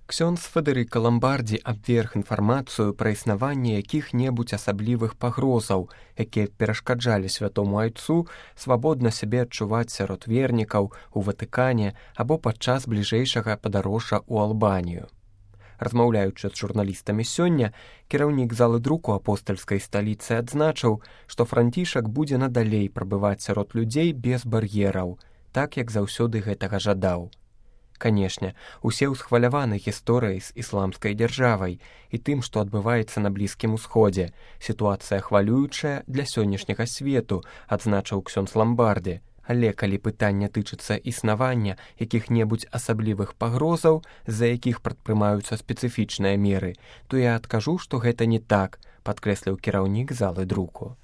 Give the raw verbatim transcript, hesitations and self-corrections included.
Ксёндз Федэрыка Ламбардзі абверг інфармацыю пра існаванне якіх-небудзь асаблівых пагрозаў, якія перашкаджалі святому айцу свабодна сябе адчуваць сярод вернікаў у Ватыкане або падчас бліжэйшага падарожжа ў Албанію. Размаўляючы з журналістамі сёння, кіраўнік залы друку апостальскай сталіцы адзначыў, што Францішак будзе надалей прабываць сярод людзей без бар'ераў, так як заўсёды гэтага жадаў. Канешне, усе ўсхваляваны гісторыяй з ісламскай дзяржавай і тым, што адбываецца на Блізкім Усходзе. Сітуацыя хвалюючая для сённяшняга свету, адзначыў ксёндз Ламбардзі. Але калі пытанне тычыцца існавання якіх-небудзь асаблівых пагрозаў, з-за якіх прадпрымаюцца спецыфічныя меры, то я адкажу, што гэта не так, падкрэсліў кіраўнік залы друку.